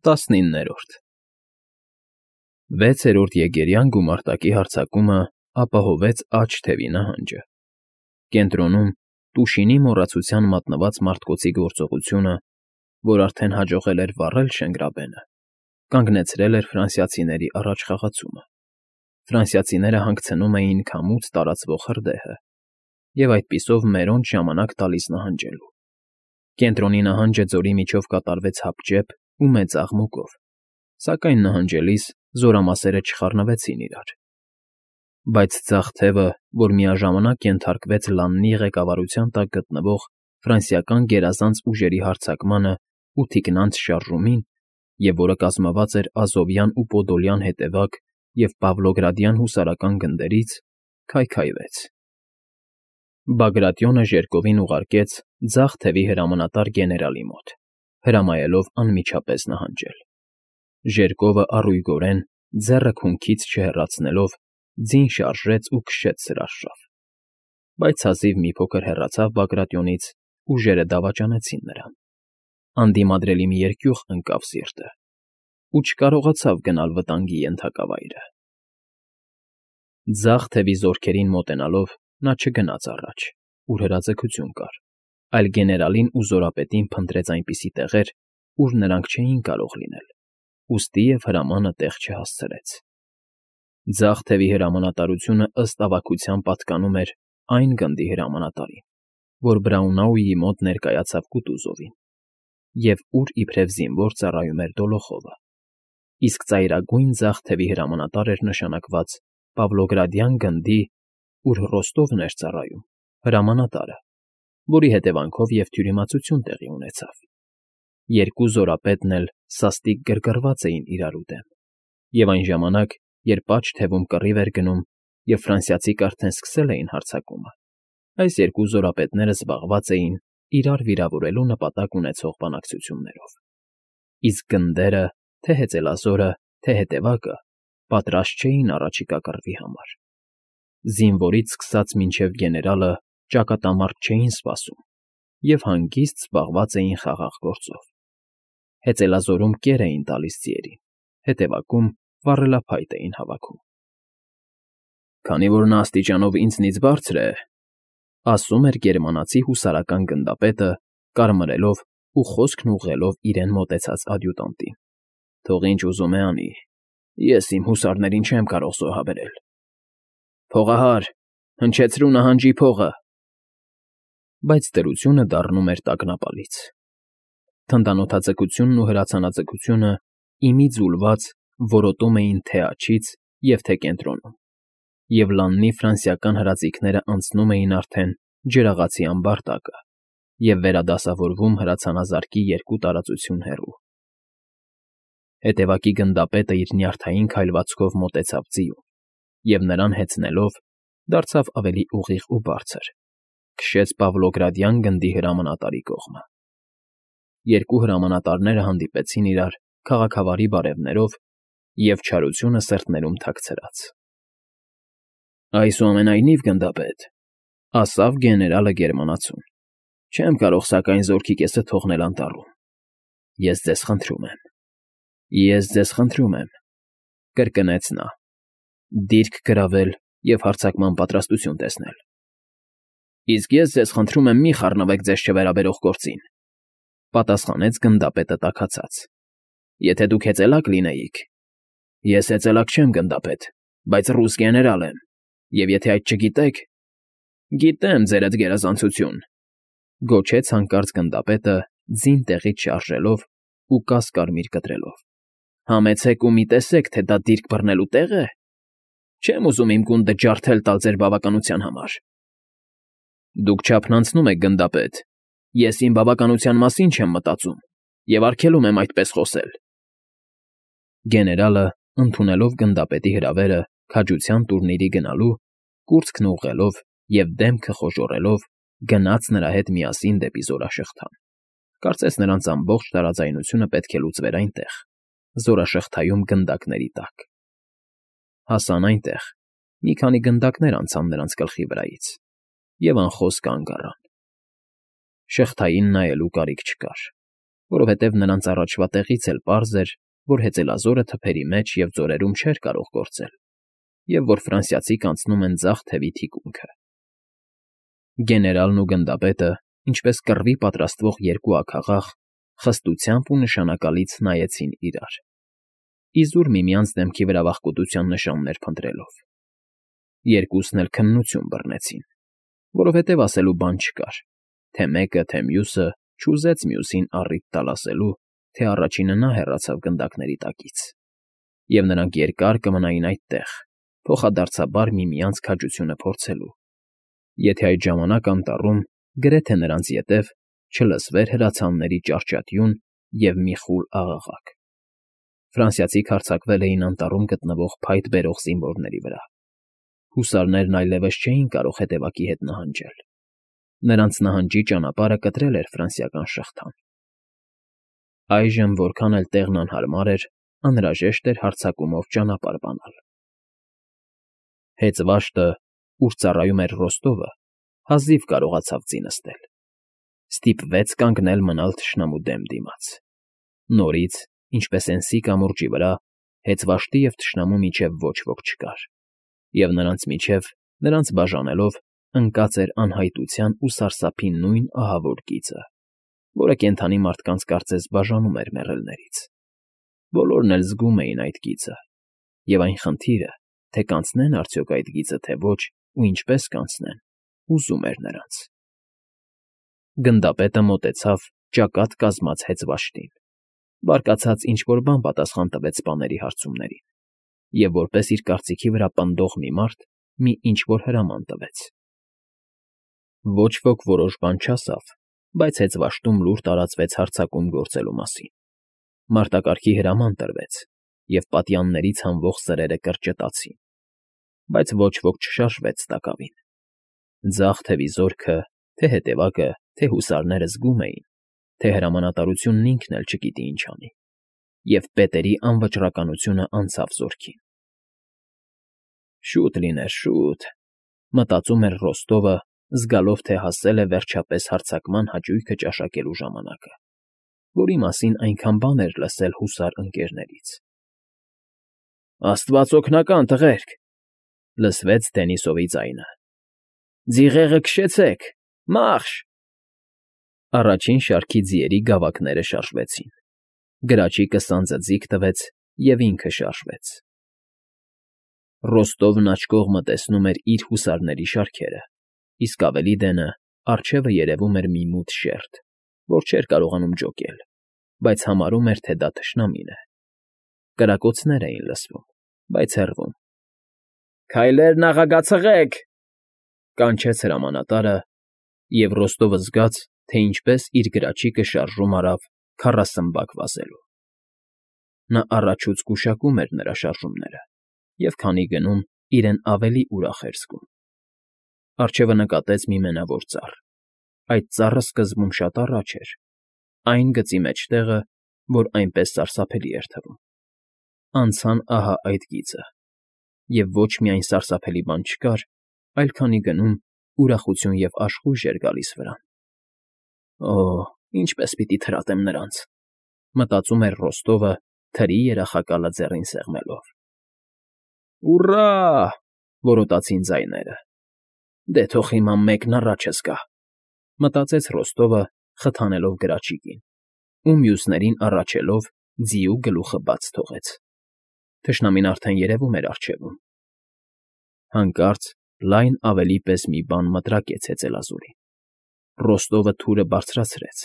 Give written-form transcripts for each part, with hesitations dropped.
19-րդ 6-րդ եկերյան գումարտակի հարձակումը ապահովեց աջ թևի նահանջը։ Կենտրոնում Տուշինի մոռացության մատնված մարդկոցի գործողությունը, որ արդեն հաջողել էր վառել Շենգրաբենը, կանգնեցրել էր ֆրանսիացիների առաջխաղացումը։ Ֆրանսիացիները հանգցնում էին քամուց տարածվող հրդեհը և այդպիսով մերոնց ժամանակ տալիս նահանջելու։ Կենտրոնի նահանջը ձորի միջով կատարվեց հապճեպ ու մեծ աղմուկով, սակայն նահանջելիս զորամասերը չխառնվեցին իրար։ Բայց ձախ թևը, որ միաժամանակ ենթարկվեց Լաննի ղեկավարության տակ գտնվող ֆրանսիական գերազանց ուժերի հարձակմանը ու թիկնանց շարժումին, և որը կազմված էր Ազովյան ու Պոդոլյան հետևակ և Պավլոգրադյան հուսարական գնդերից, քայքայվեց։ Բագրատիոնը ժերկովին ուղարկեց ձախ թևի հրամանատար գեներալի մոտ, հրամայելով անմիջապես նահանջել։ Ժերկովը առույգորեն, ձեռը քունքից չհեռացնելով, ձին շարժեց ու քշեց սրաշավ։ Բայց հազիվ մի փոքր հեռացավ Բագրատիոնից, ուժերը դավաճանեցին նրան։ Անդիմադրելի մի երկյուղ ընկավ սիրտը ու չկարողացավ գնալ վտանգի ենթակավայրը։ Ձախ թևի զորքերին մոտենալով նա չգնաց առաջ, ուր հրաձգություն կար, այլ գեներալին ու զորապետին փնտրեց այնպիսի տեղեր, ուր նրանք չէին կարող լինել, ուստի և հրամանը տեղ չհասցրեց։ Ձախ թևի հրամանատարությունը ըստ ավագության պատկանում էր այն գնդի հրամանատարին, որ Բրաունաուի մոտ ներկայացավ Կուտուզովին, և ուր իբրև զինվոր ծառայում էր Դոլոխովը, իսկ ծայրագույն ձախ թևի հրամանատար էր նշանակված Պավլոգրադյան գնդի, ուր Ռոստովն էր ծառայում, հրամանատարը, որի հետևանքով և թյուրիմացություն տեղի ունեցավ։ Երկու զորապետն էլ սաստիկ գրգռված էին իրարու դեմ, և այն ժամանակ, երբ աջ թևում կռիվ էր գնում և ֆրանսիացիք արդեն սկսել էին հարձակումը, այս երկու զորապետները զբաղված էին իրար վիրավորելու նպատակ ունեցող բանակցություններով։ Իսկ գնդերը, թե հեծելազորը, թե հետևակը, պատրաստ չէին առաջիկա կռվի համար։ Զինվորից սկսած մինչև գեներալը ճակատամարտ չէին սպասում և հանգիստ զբաղված էին խաղաղ գործով։ Հեծելազորում կեր էին տալիս ձիերին, հետևակում վառելափայտ էին հավաքում։ «Քանի որ նա աստիճանով ինձնից բարձր է,֊ ասում էր գերմանացի հուսարական գնդապետը, կարմրելով ու խոսքն ուղղելով իրեն մոտեցած ադյուտանտին,֊ թող ինչ ուզում է անի, ես իմ հուսարներին չեմ կարող զոհաբերել։ Փողահար, հնչեցրու նահանջի փողը»։ Բայց դրությունը դառնում էր տագնապալից։ Թնդանոթաձգությունն ու հրացանաձգությունը ի մի ձուլված որոտում էին թե՛ աջից և թե՛ կենտրոնում, և Լաննի ֆրանսիական հրաձիգները անցնում էին արդեն ջրաղացի ամբարտակը և վերադասավորվում հրացանազարկի երկու տարածություն հեռու։ Հետևակի գնդապետը իր նյարդային քայլվածքով մոտեցավ ձիուն և, նրան հեծնելով, դարձավ ավելի ուղիղ ու բարձր, քշեց Պավլոգրադյան գնդի հրամանատարի կողմը։ Երկու հրամանատարները հանդիպեցին իրար քաղաքավարի բարևներով և չարությունը սրտներում թաքցրած։ «Այսուամենայնիվ, գնդապետ,֊ ասավ գեներալը գերմանացուն,֊ չեմ կարող սակայն զորքի կեսը թողնել անտառում։ Ես ձեզ խնդրում եմ, ես ձեզ խնդրում եմ,֊ կրկնեց նա,֊ դիրք գրավել և հարձակման պատրաստություն տեսնել։ Իսկ ես ձեզ խնդրում եմ մի խառնվեք ձեզ չվերաբերող գործին,֊ պատասխանեց գնդապետը տաքացած։ Եթե դուք հեծելակ լինեիք… Ես հեծելակ չեմ, գնդապետ, բայց ռուս գեներալ եմ, և եթե այդ չգիտեք… Գիտեմ, ձերդ գերազանցություն,֊ գոչեց հանկարծ գնդապետը, ձին տեղից շարժելով ու կաս֊կարմիր կտրելով,֊ համեցեք ու մի տեսեք, թե դա դիրք բռնելու տեղ է։ Չեմ ուզում իմ գունդը ջարդել տալ ձեր բավականության համար։ Դուք չափն անցնում եք, գնդապետ, ես իմ բավականության մասին չեմ մտածում և արգելում եմ այդպես խոսել։ Գեներալը, ընդունելով գնդապետի հրավերը քաջության տուրնիրի գնալու, կուրծքն ուղղելով և դեմքը խոժոռելով, գնաց նրա հետ միասին դեպի զորաշղթան։ Կարծես նրանց ամբողջ տարաձայնությունը պետք է լուծվեր այնտեղ, զորաշղթայում գնդակների տակ։ Հասան այնտեղ, մի քանի գնդակներ անցան նրանց գլխի վրայից և անխոս կանգ առան։ Շղթային նայելու կարիք չկար։ որովհետև նրանց առաջվա տեղից էլ պարզ էր, որ հեծելազորը թփերի մեջ և ձորերում չէր կարող գործել, և որ ֆրանսիացիք անցնում են ձախ թևի թիկունքը։ Գեներալն ու գնդապետը, ինչպես կռվի պատրաստվող երկու աքաղաղ, խստությամբ ու նշանակալից նայեցին իրար, իզուր միմյանց դեմքի վրա վախկոտության նշաններ փնտրելով։ Երկուսն էլ քննություն բռնեցին, որովհետև ասելու բան չկար, թե մեկը, թե մյուսը չուզեց մյուսին առիթ տալ ասելու, թե առաջինը նա հեռացավ գնդակների տակից, և նրանք երկար կմնային այդտեղ, փոխադարձաբար միմյանց քաջությունը փորձելու, եթե այդ ժամանակ անտառում, գրեթե նրանց ետև, չլսվեր հրացանների ճարճատյուն և մի խուլ աղաղակ։ Ֆրանսիացիք հարձակվել էին անտառում գտնվող փայտ բերող զինվորների վրա։ Հուսարներն այլևս չէին կարող հետևակի հետ նահանջել։ Նրանց նահանջի ճանապարհը կտրել էր ֆրանսիական շղթան։ Այժմ, որքան էլ տեղն անհարմար էր, անհրաժեշտ էր հարձակումով ճանապարհ բանալ։ Հեծվաշտը, ուր ծառայում էր Ռոստովը, հազիվ կարողացավ ձի նստել։ Ստիպվեց կանգնել մնալ թշնամու դեմ դիմաց։ Նորից, ինչպես Էնսի կամուրջի վրա, հեծվաշտի և թշնամու միջև ոչ ոք չկար, և նրանց միջև, նրանց բաժանելով, ընկած էր անհայտության ու սարսափի նույն ահավոր գիծը, որը կենդանի մարդկանց կարծես բաժանում էր մեռելներից։ Բոլորն էլ զգում էին այդ գիծը, և այն խնդիրը, թե կանցնեն արդյոք այդ գիծը, թե ոչ, ու ինչպես կանցնեն, հուզում էր նրանց։ Գնդապետը մոտեցավ ճակատ կազմած հեծվաշտին, բարկացած ինչ֊որ բան պատասխան տվեց սպաների հարցումներին, և որպես իր կարծիքի վրա պնդող մի մարդ մի ինչ֊որ հրաման տվեց։ Ոչ ոք որոշ բան չասավ, բայց հեծվաշտում լուր տարածվեց հարձակում գործելու մասին։ Մարտակարգի հրաման տրվեց, և պատյաններից հանվող սրերը կրճտացին, բայց ոչ ոք չշարժվեց տակավին։ Ձախ թևի զորքը, թե հետևակը, թե հուսարները զգում էին, թե հրամանատարությունն ինքն էլ չգիտի ինչ անի, և պետերի անվճռականությունը անցավ զորքին։ «Շուտ լիներ, շուտ», մտածում էր Ռոստովը, զգալով, թե հասել է վերջապես հարձակման հաճույքը ճաշակելու ժամանակը, որի մասին այնքան բան էր լսել հուսար ընկերներից։ «Աստված օգնական, տղերք», լսվեց Դենիսովի ձայնը։ «Ձիղեղը քշեցեք, մա՛րշ»։ Առաջին շարքի ձիերի գավակները շարժվեցին։ Գրաչիկը սանձը ձիգ տվեց և ինքը շարժվեց։ Ռոստովն աչքողմը տեսնում էր իր հուսարների շարքերը, իսկ ավելի դենը առջևը երևում էր մի մութ շերտ, որ չէր կարողանում ջոկել, բայց համարում էր, թե դա թշնամին է։ Կրակոցներ էին լսվում, բայց հեռվում։ «Քայլեր, նախագացղեք», կանչեց հրամանատարը, և Ռոստովը զգաց, թե ինչպես իր գրաչիկը շարժում արավ քառասմբակ վազելու։ Նա առաջուց գուշակում էր նրա շարժումները, և քանի գնում, իրեն ավելի ուրախ էր զգում։ Առջևը նկատեց մի մենավոր ծառ։ Այդ ծառը սկզբում շատ առաջ էր, այն գծի մեջտեղը, որ այնպես սարսափելի էր թվում։ Անցան ահա այդ գիծը, և ոչ միայն սարսափելի բան չկար, այլ քանի գնում, ուրախություն և աշխույժ էր գալիս վրան։ «Օ՜, ինչպես պիտի թրատեմ նրանց», մտածում էր Ռոստովը, թրի երախակալը ձեռին սեղմելով։ «Ուռա՜», որոտացին ձայները։ «Դե թող հիմա մեկն առաջս գա», մտածեց Ռոստովը, խթանելով գրաչիկին, ու մյուսներին առաջելով ձիու գլուխը բաց թողեց։ Թշնամին արդեն երևում էր առջևում։ Հանկարծ լայն ավելի պես մի բան մտրակեց հեծելազորին։ Ռոստովը թուրը բարձրացրեց,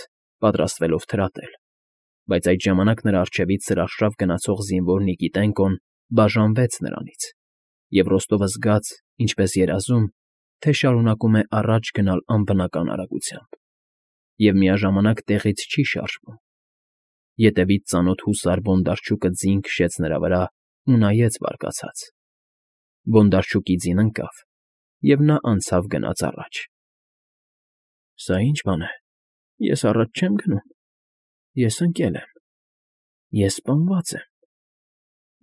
պատրաստվելով թրատել, բայց այդ ժամանակ նրա առջևից սրարշավ գնացող զինվոր Նիկիտենկոն բաժանվեց նրանից, և Ռոստովը զգաց, ինչպես երազում, թե շարունակում է առաջ գնալ անբնական արագությամբ, և միաժամանակ տեղից չի շարժվում։ Ետևից ծանոթ հուսար Բոնդարչուկը ձին քշեց նրա վրա ու նայեց բարկացած։ Բոնդարչուկի ձին ընկավ, և նա անցավ գնաց առաջ։ «Սա ի՞նչ բան է, ես առաջ չեմ գնում, ես ընկել եմ, ես սպանված եմ»,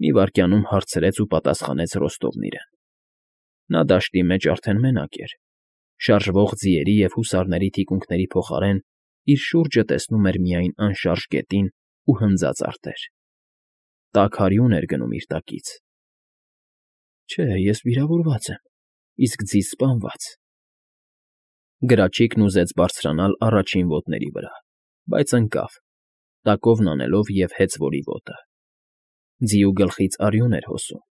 մի վայրկյանում հարցրեց ու պատասխանեց Ռոստովն իրեն։ Նա դաշտի մեջ արդեն մենակ էր, շարժվող ձիերի և հուսարների թիկունքների փոխարեն իր շուրջը տեսնում էր միայն անշարժ գետին ու հնձած արտեր։ Տաք արյուն էր գնում իր տակից։ Չէ, ես վիրավորված եմ, իսկ ձիզ սպանված։ Գրաչիկն ուզեց բարձրանալ առաջին ոտների վրա, բայց ընկավ, տակովն անելով և հեծվորի ոտը։ Ձիու գլխից արյուն էր հոսում։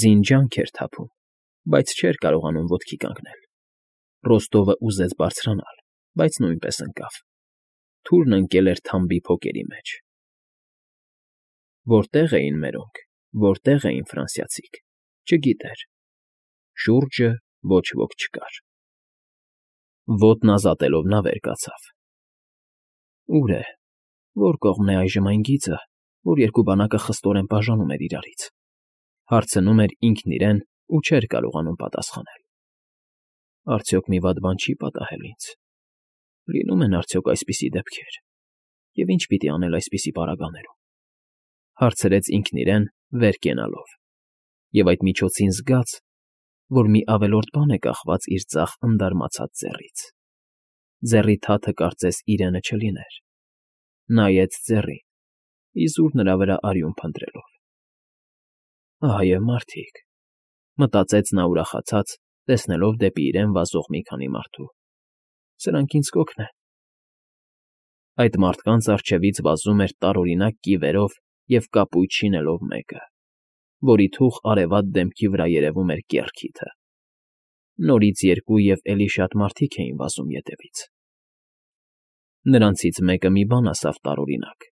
Ձին ջանք էր թափում, բայց չէր կարողանում ոտքի կանգնել։ Ռոստովը ուզեց բարձրանալ, բայց նույնպես ընկավ։ Թուրն ընկել էր թամբի փոկերի մեջ։ Որտե՞ղ էին մերոնք, որտե՞ղ էին ֆրանսիացիք, չգիտեր։ Շուրջը ոչ ոք չկար։ Ոտն ազատելով նա վեր կացավ։ Ուր է, որ կողմն է այժմ այն գիծը, որ երկու բանակը խստորեն բաժանում էր իրարից։ Հարցնում էր ինքն իրեն ու չէր կարողանում պատասխանել։ Արդյոք մի վատ բան չի պատահել ինձ։ Լինում են արդյոք այսպիսի դեպքեր։ Եվ ինչ պիտի անել այսպիսի պարագաներում։ Հարցրեց ինքն իրեն վեր կենալով։ Եվ այդ միջոցին զգաց, որ մի ավելորդ բան է կախված իր ձախ ընդարմացած ձեռից։ Ձեռի թաթը կարծես իրենը չլիներ։ Նայեց ձեռին, իզուր նրա վրա արյուն փնտրելով։ Ահա և մարդիկ, մտածեց նա ուրախացած, տեսնելով դեպի իրեն վազող մի քանի մարդու։ Սրանք ինձ կօգնեն։ Այդ մարդկանց առջևից վազում էր տարօրինակ կիվերով և կապույտ շինելով մեկը, որի թուխ արևատ դեմքի վրա երևում էր կեռքիթը։ Նորից երկու և էլի շատ մարդիկ էին վազում ետևից։ Նրանցից մեկը մի բան ասավ տարօրինակ,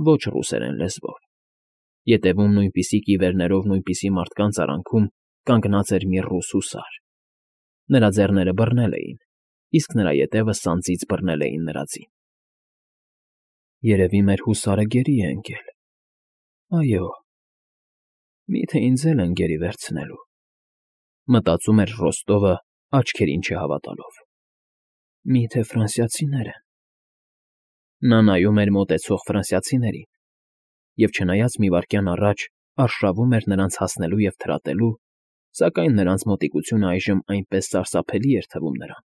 ոչ ռուսերեն լեզվով։ Ետևում նույնպիսի կիվերներով նույնպիսի մարդկանց արանքում կանգնած էր մի ռուս հուսար։ Նրա ձեռները բռնել էին, իսկ նրա ետևը սանձից բռնել էին նրա ձին։ Երևի մեր հուսարը գերի է ընկել։ Այո, միթե ինձ էլ են գերի վերցնելու, մտածում էր Ռոստովը աչքերին չհավատալով։ Միթե ֆրանսիացիներ են։ Նա նայում էր մոտեցող ֆրանսիացիներին, և չնայած մի վայրկյան առաջ արշավում էր նրանց հասնելու և թրատելու, սակայն նրանց մոտիկությունը այժմ այնպես սարսափելի էր թվում նրան,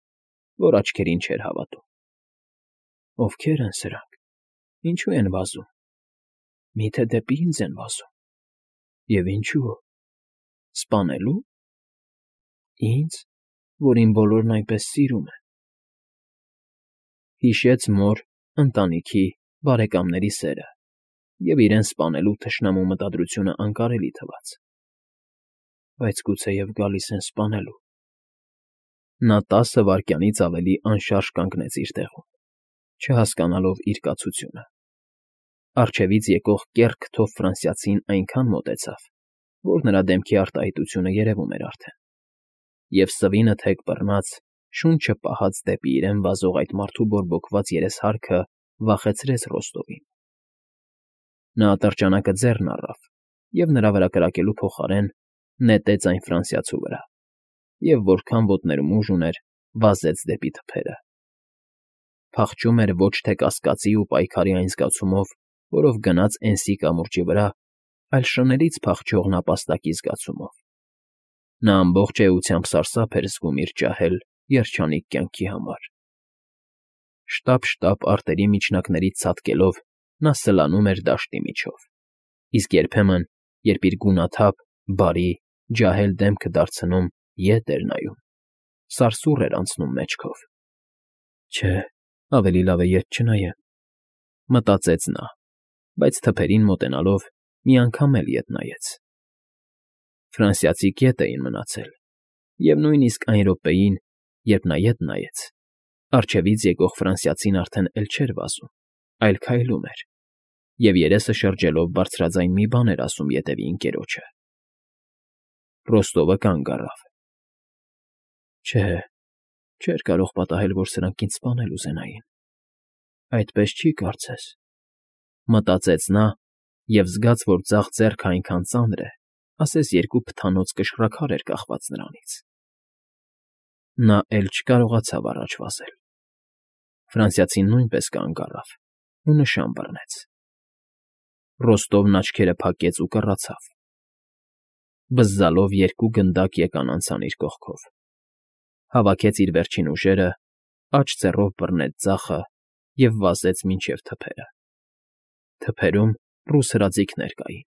որ աչքերին չէր հավատում։ Ովքե՞ր են սրանք, ինչու են վազում։ Միթե դեպի ինձ են վազում։ Եվ ինչու։ Սպանելու։ Ինձ, որին բոլորն այնպես սիրում են։ Հիշեց մոր, ընտանիքի, բարեկամների սերը և իրեն սպանելու թշնամու մտադրությունը անկարելի թվաց։ Բայց գուցեև գալիս են սպանելու։ Նա 10 վայրկյանից ավելի անշարժ կանգնեց իր տեղում, չհասկանալով իր կացությունը։ Առջևից եկող կեռ քթով ֆրանսիացին այնքան մոտեցավ, որ նրա դեմքի արտահայտությունը երևում էր արդեն։ Եվ սվինը թեք բռնած, շունչը պահած դեպի իրեն վազող այդ մարդու բորբոքված երեսհարքը վախեցրեց Ռոստովին։ Նա ատրճանակը ձեռն առավ և նրա վրա կրակելու փոխարեն նետեց այն ֆրանսիացու վրա, և որքան ոտներում ուժ ուներ, վազեց դեպի թփերը։ Փախչում էր ոչ թե կասկածի ու պայքարի այն զգացումով, որով գնաց Էնսի կամուրջի վրա, այլ շներից փախչող նապաստակի զգացումով։ Նա ամբողջ էությամբ սարսափ էր զգում իր ջահել, երջանիկ կյանքի համար։ Շտապ-շտապ արտերի միջնակներից ցատկելով նա սլանում էր դաշտի միջով, իսկ երբեմն, երբ իր գունաթափ, բարի, ջահել դեմքը դարձնում, ետ էր նայում, սարսուռ էր անցնում մեջքով։ Չէ, ավելի լավ է ետ չնայեմ, մտածեց նա, բայց թփերին մոտենալով մի անգամ էլ ետ նայեց։ Ֆրանսիացի ետ էին մնացել, և նույնիսկ այն րոպեին, երբ նա ետ նայեց, առջևից եկող ֆրանսիացին արդեն էլ չէր վազում, այլ քայլում էր, և երեսը շրջելով բարձրաձայն մի բան էր ասում ետևի ընկերոջը։ Ռոստովը կանգ առավ։ Չէ, չէր կարող պատահել, որ սրանք ինձ սպանել ուզենային։ Այդպես չի կարծես, մտածեց նա և զգաց, որ ձախ ձեռքը այնքան ծանր է, ասես երկու փթանոց կշռաքար էր կախված նրանից։ Նա էլ չկարողացավ առաջ վազել։ Ֆրանսիացին նույնպես կանգ առավ ու նշան բռնեց։ Ռոստովն աչքերը փակեց ու կռացավ։ Բզզալով երկու գնդակ եկան անցան իր կողքով։ Հավաքեց իր վերջին ուժերը, աջ ձեռով բռնեց ձախը և վազեց մինչև թփերը։ Թփերում ռուս հրաձիգներ կային։